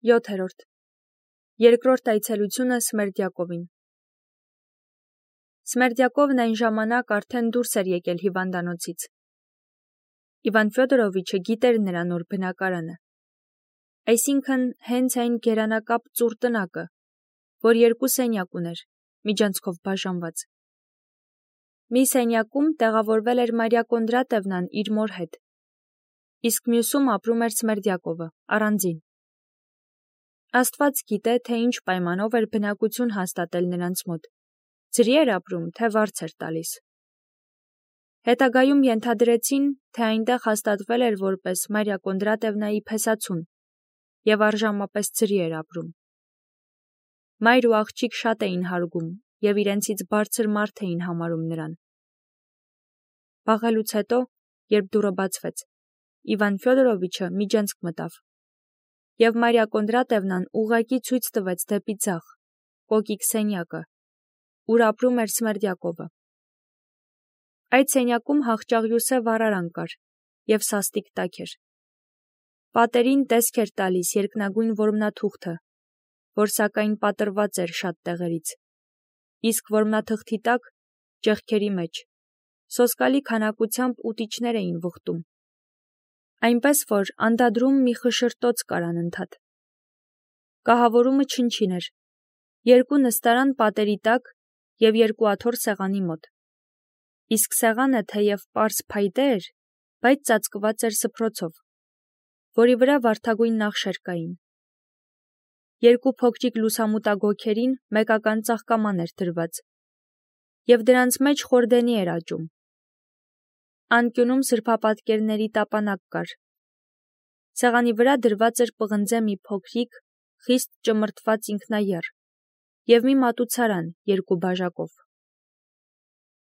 7. Երկրորդ այցելությունը Սմերդյակովին։ Սմերդյակովն այն ժամանակ արդեն դուրս էր եկել հիվանդանոցից։ Իվան Ֆյոդորովիչը գիտեր նրա նոր բնակարանը, այսինքն հենց այն գերանակապ ծուռ տնակը, որ երկու սենյակ ուներ, միջանցքով բաժանված։ Մի սենյակում տեղավորվել էր Մարիա Կոնդրատևնան իր մոր հետ, իսկ մյուսում ապրում էր Սմերդյակովը, առանձին։ Աստված գիտե, թե ինչ պայմանով էր բնակություն հաստատել նրանց մոտ, ձրի էր ապրում, թե վարձ էր տալիս։ Հետագայում ենթադրեցին, թե այնտեղ հաստատվել էր որպես Մարիա Կոնդրատևնայի փեսացուն և առժամապես ձրի էր ապրում։ Մայր ու աղջիկ շատ էին հարգում և իրենցից բարձր մարդ էին համարում նրան։ Վաղելուց հետո, երբ դուռը բացվեց, Իվան Ֆյոդորովիչը միջանցք մտավ, և Մարիա Կոնդրատևնան ուղղակի ցույց տվեց դեպի ձախ, կոկիկ սենյակը, ուր ապրում էր Սմերդյակովը։ Այդ սենյակում հախճաղյուսե վառարան կար և սաստիկ տաք էր։ Պատերին տեսք էր տալիս երկնագույն որմնաթուղթը, որ սակայն պատռված էր շատ տեղերից, իսկ որմնաթղթի տակ, ճեղքերի մեջ, սոսկալի քանակությամբ ուտիչներ էին վխտում, այնպես որ անդադրում մի խշշրտոց կար անընդհատ։ Կահավորումը չնչին էր, երկու նստարան պատերի տակ և երկու աթոռ սեղանի մոտ, իսկ սեղանը թեև պարզ փայտե էր, բայց ծածկված էր սփռոցով, որի վրա վարդագույն նախշեր կային։ Երկու փոքրիկ լուսամուտագոգերին մեկական ծաղկաման էր դրված, և դրանց մեջ խորդենի էր աճում։ Անկյունում սրբապատկերների տապանակ կար։ Սեղանի վրա դրված էր պղնձե մի փոքրիկ, խիստ ճմրթված ինքնաեռ և մի մատուցարան երկու բաժակով։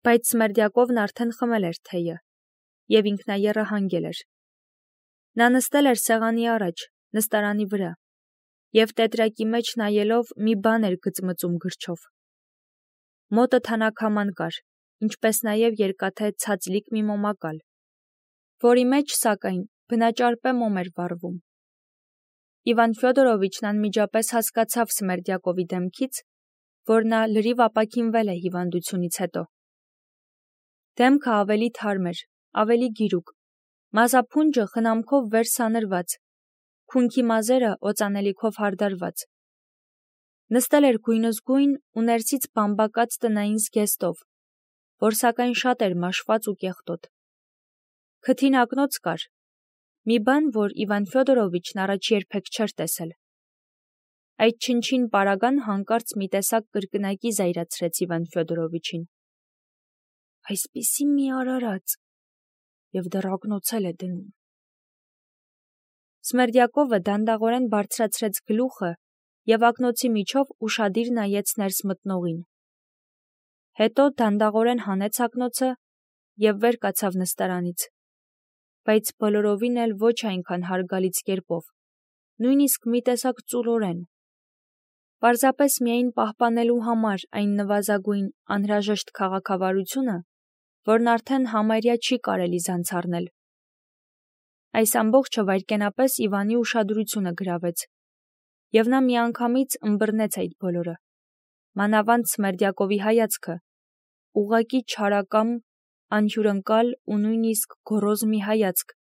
Բայց Սմերդյակովն արդեն խմել էր թեյը, և ինքնաեռը հանգել էր։ Նա նստել էր սեղանի առաջ, նստարանի վրա, և տետրակի մեջ նայելով մի բան էր գծմծում գրչով։ Մոտը թանաքաման կար, ինչպես նաև երկաթե ցածլիկ մի մոմակալ, որի մեջ, սակայն, բնաճարպե մոմ էր վառվում։ Իվան Ֆյոդորովիչն անմիջապես հասկացավ Սմերդյակովի դեմքից, որ նա լրիվ ապաքինվել է հիվանդությունից հետո։ Դեմքը ավելի թարմ էր, ավելի գիրուկ, մազափունջը խնամքով վեր սանրված, քունքի մազերը օծանելիքով հարդարված։ Նստել էր գույնզգույն ու ներսից բամբակած տնային զգեստով, որ սակայն շատ էր մաշված ու կեղտոտ։ Քթին ակնոց կար, մի բան, որ Իվան Ֆյոդորովիչն առաջ երբեք չէր տեսել։ Այդ չնչին պարագան հանկարծ մի տեսակ կրկնակի զայրացրեց Իվան Ֆյոդորովիչին։ Այսպիսի մի արարած, և դեռ ակնոցել է դնում։ Սմերդյակովը դանդաղորեն բարձրացրեց գլուխը և ակնոցի միջով ուշադիր նայեց ներս մտնողին։ Հետո դանդաղորեն հանեց ակնոցը և վեր կացավ նստարանից, բայց բոլորովին էլ ոչ այնքան հարգալից կերպով, նույնիսկ մի տեսակ ծուլորեն, պարզապես միայն պահպանելու համար այն նվազագույն անհրաժեշտ քաղաքավարությունը, որն արդեն համարյա չի կարելի զանց առնել։ Այս ամբողջը վայրկենապես Իվանի ուշադրությունը գրավեց, և նա միանգամից ըմբռնեց այդ բոլորը, մանավանդ Սմերդյակովի հայացքը, ուղղակի չարակամ, անհյուրընկալ ու նույնիսկ գոռոզ մի հայացք,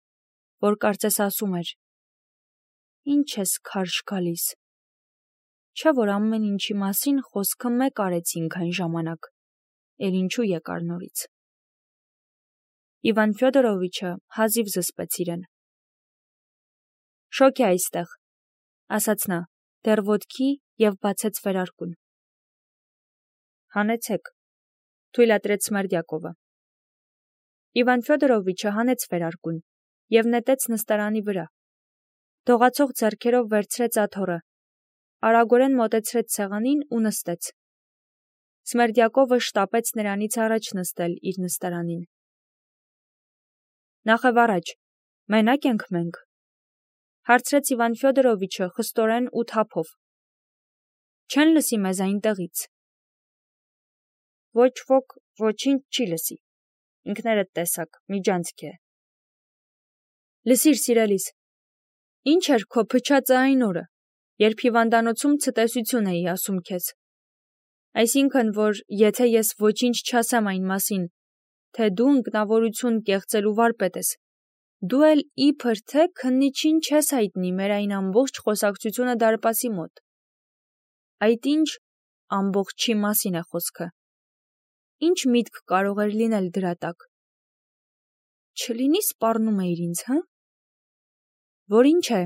որ կարծես ասում էր. «Ինչ ես քարշ գալիս, չէ՞ որ ամեն ինչի մասին խոսքը մեկ արեցինք այն ժամանակ, էլ ինչու եկար նորից»։ Իվան Ֆյոդորովիչը հազիվ զսպեց իրեն։ «Շոգ է այստեղ», ասաց նա, դեռ ոտքի և բացեց վերարկուն։ «Հանեցեք», թույլատրեց Սմերդյակովը։ Իվան Ֆյոդորովիչը հանեց վերարկուն և նետեց նստարանի վրա։ Դողացող ձեռքերով վերցրեց աթոռը, արագորեն մոտեցրեց սեղանին ու նստեց։ Սմերդյակովը շտապեց նրանից առաջ նստել իր նստարանին։ «Նախ առաջ, մենա՞կ ենք մենք», հարցրեց Իվան Ֆյոդորովիչը խստորեն ու թափով։ «Չեն լսի մեզ այնտեղից»։ «Ոչ ոք ոչինչ չի լսի, ինքներդ տեսաք, միջանցք է»։ «Լսիր, սիրելիս, ինչ էր քո փչածը այն օրը, երբ հիվանդանոցում ցտեսություն էի ասում քեզ։ Այսինքն, որ եթե ես ոչինչ չասեմ այն մասին, թե դու ինքնավորություն կեղծելու վարպետ ես, դու էլ իբր թե քննիչին չես հայտնի մեր այն ամբողջ խոսակցությունը դարպասի մոտ։ Այդ ինչ ամբողջի մասին է խոսքը։ Ինչ միտք կարող էր լինել դրա տակ։ Չլինի սպառնում էիր ինձ, հա՞։ Որ ինչ է,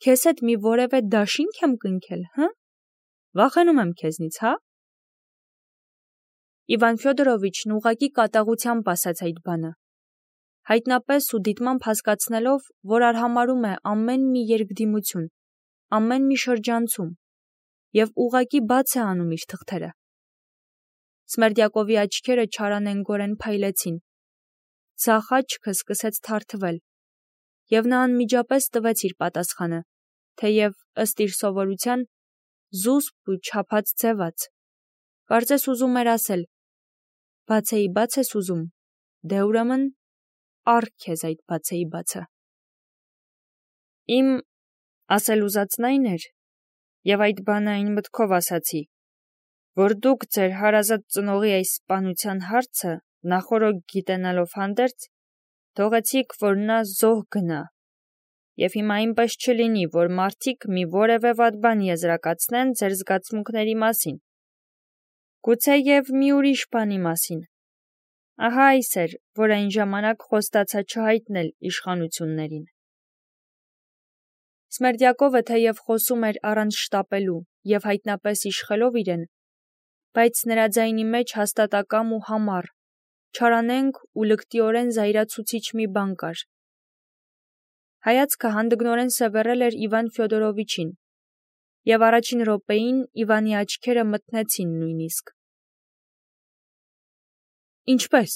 քեզ հետ մի որևէ դաշինք եմ կնքել, հա՞։ Վախենում եմ քեզնից, հա։ Իվան Ֆյոդորովիչն ուղղակի կատաղությամբ ասաց այդ բանը, հայտնապես ու դիտմամբ հասկացնելով, որ արհամարհում է ամեն մի երկդիմություն, ամեն մի շրջանցում, և ուղղակի բաց է անում իր թղթերը։ Սմերդյակովի աչքերը չարանենգորեն փայլեցին, ձախ աչքը սկսեց թարթվել, և նա անմիջապես տվեց իր պատասխանը, թեև ըստ իր սովորության զուսպ ու չափած ձևաց։ Կարծես ուզում էր ասել. բացեի բաց ես ուզում, դե ուրեմն առ քեզ այդ բացեի բացը։ Իմ ասել ուզածն այն էր, և այդ բանը այն մտքով ասացի, որ դուք ձեր հարազատ ծնողի այս սպանության հարցը նախօրոք գիտենալով հանդերձ, թողեցիք, որ նա զոհ գնա, և հիմա այնպես չլինի, որ մարդիկ մի որևէ վատ բան եզրակացնեն ձեր զգացմունքների մասին, գուցեև մի ուրիշ բանի մասին։ Ահա այս էր, որ այն ժամանակ խոստացա չհայտնել իշխանություններին։ Սմերդյակովը թեև խոսում էր առանց շտապելու և հայտնապես իշխելով իրեն, բայց նրա ձայնի մեջ հաստատակամ ու համառ, չարանենգ ու լկտիորեն զայրացուցիչ մի բան կար։ Հայացքը հանդգնորեն սևեռել էր Իվան Ֆյոդորովիչին, և առաջին րոպեին Իվանի աչքերը մթնեցին նույնիսկ։ Ինչպե՞ս։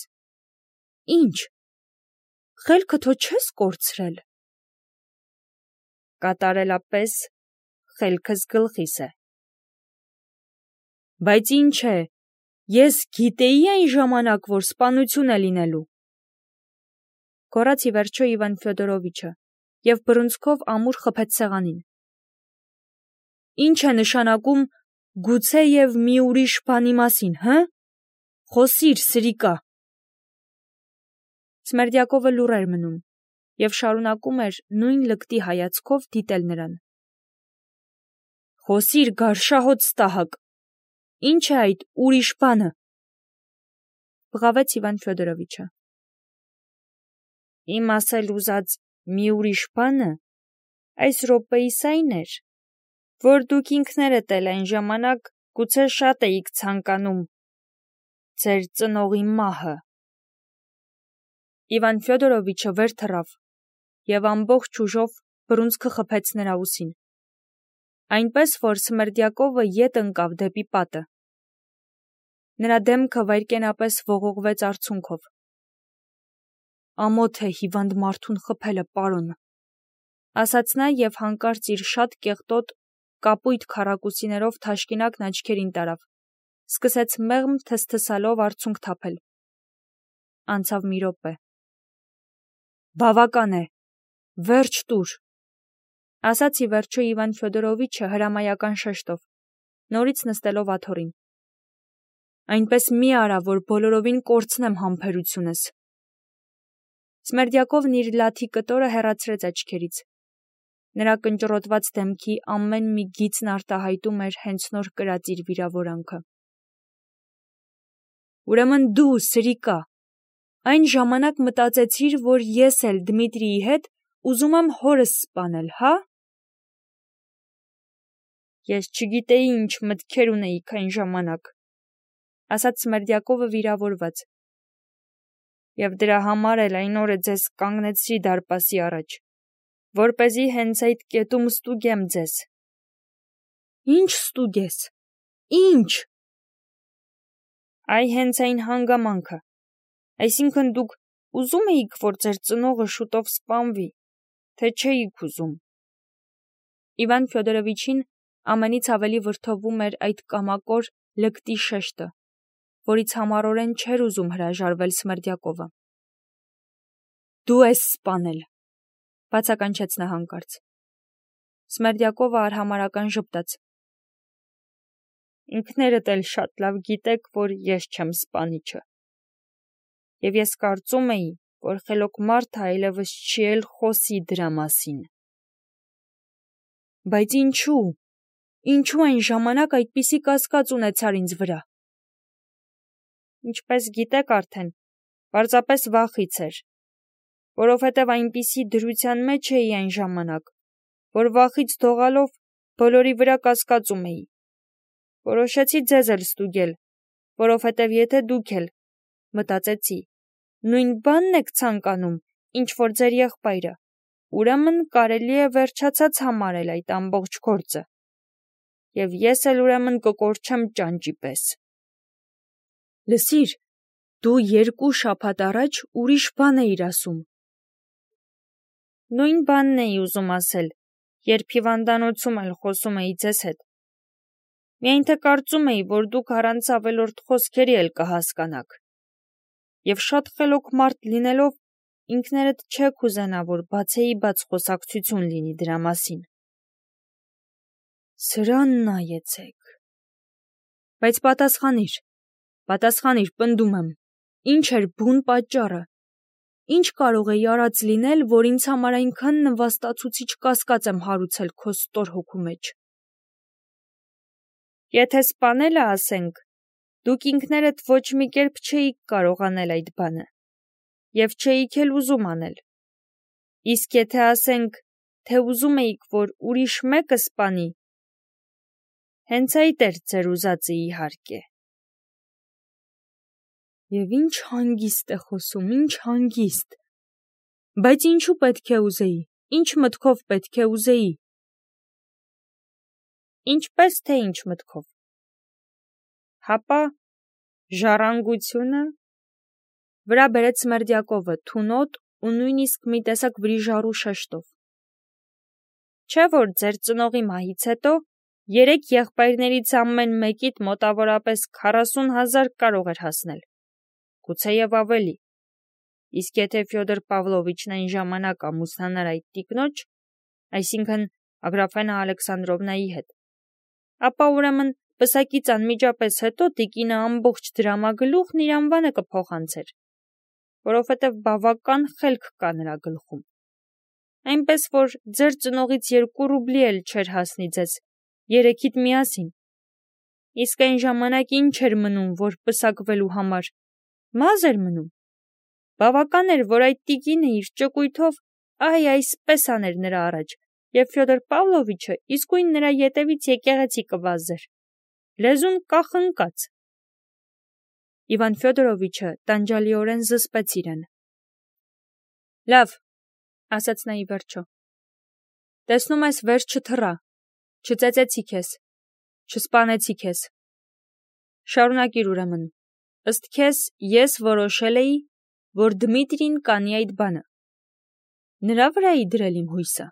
Ինչ։ Խելքը թո չես կորցրել։ Կատարելապես խելքս գլխիս է։ Բայց ինչ է, ես գիտեի այն ժամանակ, որ սպանություն է լինելու։ Գոռաց ի վերջո Իվան Ֆյոդորովիչը և բռունցքով ամուր խփեց սեղանին։ Ինչ է նշանակում գուցեև մի ուրիշ բանի մասին, հը։ Խոսիր, սրիկա։ Սմերդյակովը լուռ էր մնում և շարունակում էր նույն լկտի հայացքով դիտել նրան։ Խոսիր, գարշահոտ ստահակ, ինչ է այդ ուրիշ բանը։ Բղավեց Իվան Ֆյոդորովիչը։ Իմ ասել ուզած մի ուրիշ բանը այս րոպեիս այն էր, որ դուք ինքներդ էլ այն ժամանակ գուցե շատ էիք ցանկանում ձեր ծնողի մահը։ Իվան Ֆյոդորովիչը վեր թռավ և ամբողջ ուժով բռունցքը խփեց նրա ուսին, այնպես որ Սմերդյակովը ետ ընկավ դեպի պատը։ Նրա դեմքը վայրկենապես ողողվեց արցունքով։ Ամոթ է հիվանդ մարդուն խփելը, պարոն, ասաց նա և հանկարծ իր շատ կեղտոտ, կապույտ քառակուսիներով թաշկինակն աչքերին տարավ, սկսեց մեղմ թսթսալով արցունք թափել։ Անցավ մի րոպե։ Բավական է, վերջ տուր, ասաց ի վերջո Իվան Ֆյոդորովիչը հրամայական շեշտով, նորից նստելով աթոռին։ Այնպես մի արա, որ բոլորովին կորցնեմ համբերությունս։ Սմերդյակովն իր լաթի կտորը հեռացրեց աչքերից։ Նրա կնճռոտված դեմքի ամեն մի գիծն արտահայտում էր հենց նոր կրած իր վիրավորանքը։ Ուրեմն դու, սրիկա, այն ժամանակ մտածեցիր, որ ես էլ Դմիտրիի հետ ուզում եմ հորս սպանել, հա։ Ես չգիտեի ինչ մտքեր ունեիք այն ժամանակ, ասաց Սմերդյակովը վիրավորված, և դրա համար էլ այն օրը ձեզ կանգնեցրի դարպասի առաջ, որպեսզի հենց այդ կետում ստուգեմ ձեզ։ Ինչ ստուգես։ Ինչ։ Այ հենց այն հանգամանքը, այսինքն դուք ուզում էիք, որ ձեր ծնողը շուտով սպանվի, թե չէիք ուզում։ Իվան Ֆյոդորովիչին ամենից ավելի վրդովում էր այդ կամակոր լկտի շեշտը, որից համառորեն չէր ուզում հրաժարվել Սմերդյակովը։ Դու ես սպանել, բացականչեց նա հանկարծ։ Սմերդյակովը արհամարական ժպտաց. Ինքներդ էլ շատ լավ գիտեք, որ ես չեմ սպանիչը։ Եվ ես կարծում էի, որ խելոք մարդը այլևս չի էլ խոսի դրա մասին։ Բայց ինչու այն ժամանակ այդպիսի կասկած ունեցար ինձ վրա։ Ինչպես գիտեք արդեն, պարզապես վախից էր, որովհետև այնպիսի դրության մեջ էի այն ժամանակ, որ վախից դողալով բոլորի վրա կասկածում էի։ Որոշեցի ձեզ էլ ստուգել, որովհետև եթե դուք էլ, մտածեցի, նույն բանն եք ցանկանում, ինչ որ ձեր եղբայրը, ուրեմն կարելի է վերջացած համարել այդ ամբողջ գործը։ Եվ ես էլ ուրեմն կկորչեմ ճանճի պես։ Լսիր, դու 2 շաբաթ առաջ ուրիշ բան էիր ասում։ Նույն բանն էի ուզում ասել, երբ հիվանդանոցում էլ խոսում էի ձեզ հետ։ Միայն թե կարծում էի, որ դուք առանց ավելորդ խոսքերի էլ կհասկանաք։ Եվ շատ խելոք մարդ լինելով, ինքներդ չեք ուզենա, որ բացեի բաց խոսակցություն լինի դրա մասին։ Սրան նայեցեք։ Բայց պատասխանիր, պնդում եմ, ինչ էր բուն պատճառը։ Ինչ կարող էի արած լինել, որ ինձ համար այնքան նվաստացուցիչ կասկած եմ հարուցել քո ստոր հոգու մեջ։ Եթե սպանելը ասենք, դուք ինքներդ ոչ մի կերպ չէիք կարող անել այդ բանը, և չէիք էլ ուզում անել։ Իսկ եթե ասենք, թե ուզում էիք, որ ուրիշ մեկը սպանի, հենց այդ էր ձեր ուզածը իհարկե։ Եվ ինչ հանգիստ է խոսում, ինչ հանգիստ։ Բայց ինչու պետք է ուզեի, ինչ մտքով պետք է ուզեի։ Ինչպես թե ինչ մտքով։ Հապա ժառանգությունը, վրա բերեց Սմերդյակովը թունոտ ու նույնիսկ մի տեսակ վրիժառու շեշտով։ Չէ՞ որ ձեր ծնողի մահից հետո 3 եղբայրներից ամեն մեկիդ մոտավորապես 40,000 կարող էր հասնել, գուցեև ավելի։ Իսկ եթե Ֆյոդոր Պավլովիչն այն ժամանակ ամուսնանար այդ տիկնոջ, այսինքն Ագրաֆենա Ալեքսանդրովնայի հետ, ապա ուրեմն պսակից անմիջապես հետո տիկինը ամբողջ դրամագլուխն իր անվանը կփոխանցեր, որովհետև բավական խելք կա նրա գլխում։ Այնպես որ ձեր ծնողից 2 ռուբլի էլ չէր հասնի ձեզ, 3-իդ միասին։ Իսկ այն ժամանակ ինչ էր մնում, որ պսակվելու համար, մազ էր մնում։ Բավական էր, որ այդ տիկինը իր ճկույթով այսպես աներ նրա առաջ, և Ֆյոդոր Պավլովիչը իսկույն նրա ետևից եկեղեցի կվազեր։ Լեզուն կախնկաց։ Իվան Ֆյոդորովիչը տանջալիորեն զսպեց իրեն։ Լավ, ասաց նա ի վերջո։ Տեսնում ես, վեր չթռա, չծեծեցի քեզ, չսպանեցի քեզ։ Շարունակիր ուրեմն, ըստ քեզ ես որոշել էի, որ Դմիտրին կանի այդ բանը։ Նրա վրա էի դրել իմ հույսը։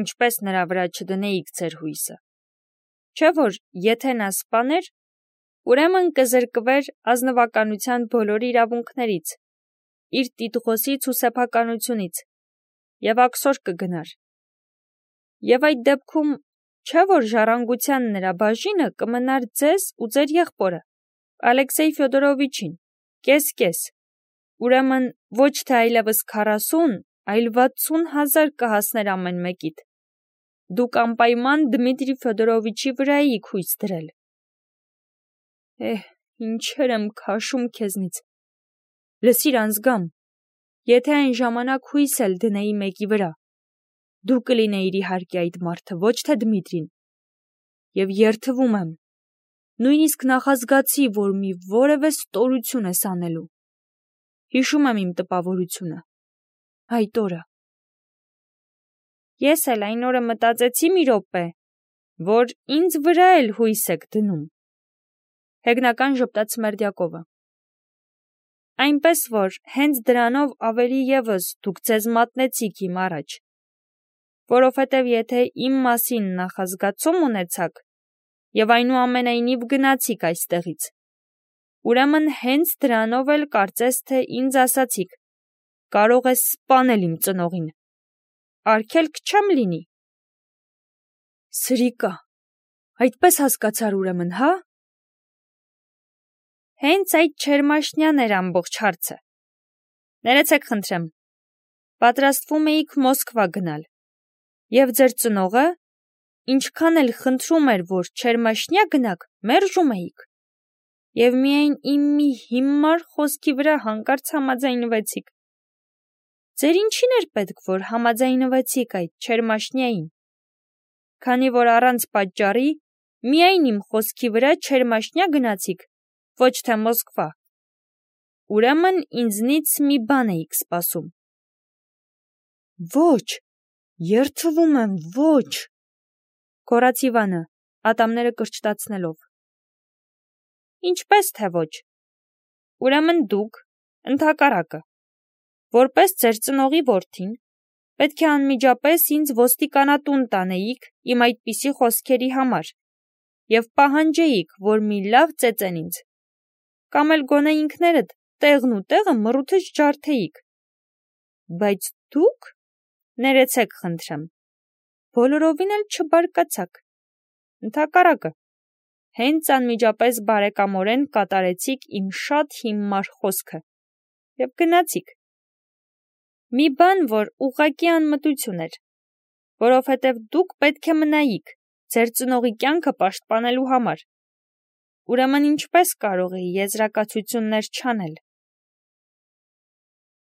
Ինչպես նրա վրա չդնեիք ձեր հույսը։ Չէ՞ որ եթե նա սպաներ, ուրեմն կզրկվեր ազնվականության բոլոր իրավունքներից, իր տիտղոսից ու սեփականությունից, և աքսոր կգնար։ Եվ այդ դեպքում չէ՞ որ ժառանգության նրա բաժինը կմնար ձեզ ու ձեր եղբորը, Ալեքսեյ Ֆյոդորովիչին, կես-կես։ Ուրեմն ոչ թե այլևս 40, այլ 60,000 կհասներ ամեն մեկիդ։ Դուք անպայման Դմիտրի Ֆյոդորովիչի վրա էիք հույս դրել։ Ինչեր եմ քաշում քեզնից։ Լսիր անձգամ, եթե այն ժամանակ հույս էլ դնեի մեկի վրա, դու կլինեիր իհարկե այդ մարդը, ոչ թե Դմիտրին։ Եվ երդվում եմ, նույնիսկ նախազգացի, որ մի որևէ ստորություն ես անելու։ Հիշում եմ իմ տպավորությունը, այդ օրը։ Ես էլ այն օրը մտածեցի մի րոպե, որ ինձ վրա էլ հույս եք դնում։ Հեգնական ժպտաց Սմերդյակովը։ Այնպես որ հենց դրանով ավելի ևս դուք ձեզ մատնեցիք իմ առաջ, որովհետև եթե իմ մասին նախազգացում ունեցաք և այնուամենայնիվ գնացիք այստեղից, ուրեմն հենց դրանով էլ կարծես թե ինձ ասացիք. կարող ես սպանել իմ ծնողին։ արգելք չեմ լինի։ Սրիկա, այդպես հասկացար ուրեմն, հա։ Հենց այդ չերմաշնյան էր ամբողջ հարցը։ Ներեցեք խնդրեմ, պատրաստվում էիք Մոսկվա գնալ, և ձեր ծնողը, ինչքան էլ խնդրում էր, որ չերմաշնյա գնաք, մերժում էիք, և միայն իմ մի հիմար խոսքի վրա հանկարծ համաձայնվեցիք։ Ձեր ինչին էր պետք, որ համաձայնվեցիք այդ չերմաշնյային, քանի որ առանց պատճառի միայն իմ խոսքի վրա չերմաշնյա գնացիք, ոչ թե Մոսկվա։ Ուրեմն ինձնից մի բան էիք սպասում։ Ոչ, երդվում եմ, ոչ, գոռաց Իվանը, ատամները կրճտացնելով։ Ինչպես թե ոչ։ Ուրեմն դուք, ընդհակառակը, որպես ձեր ծնողի որդին, պետք է անմիջապես ինձ ոստիկանատուն տանեիք իմ այդպիսի խոսքերի համար և պահանջեիք, որ մի լավ ծեծեն ինձ, կամ էլ գոնե ինքներդ տեղն ու տեղը մռութից ջարդեիք։ Բայց դուք, ներեցեք խնդրեմ, բոլորովին էլ չբարկացաք, ընդհակառակը, հենց անմիջապես բարեկամորեն կատարեցիք իմ շատ հիմար խոսքը և գնացիք։ Մի բան, որ ուղղակի անմտություն էր, որովհետև դուք պետք է մնայիք ձեր ծնողի կյանքը պաշտպանելու համար։ Ուրեմն ինչպես կարող էի եզրակացություններ չանել։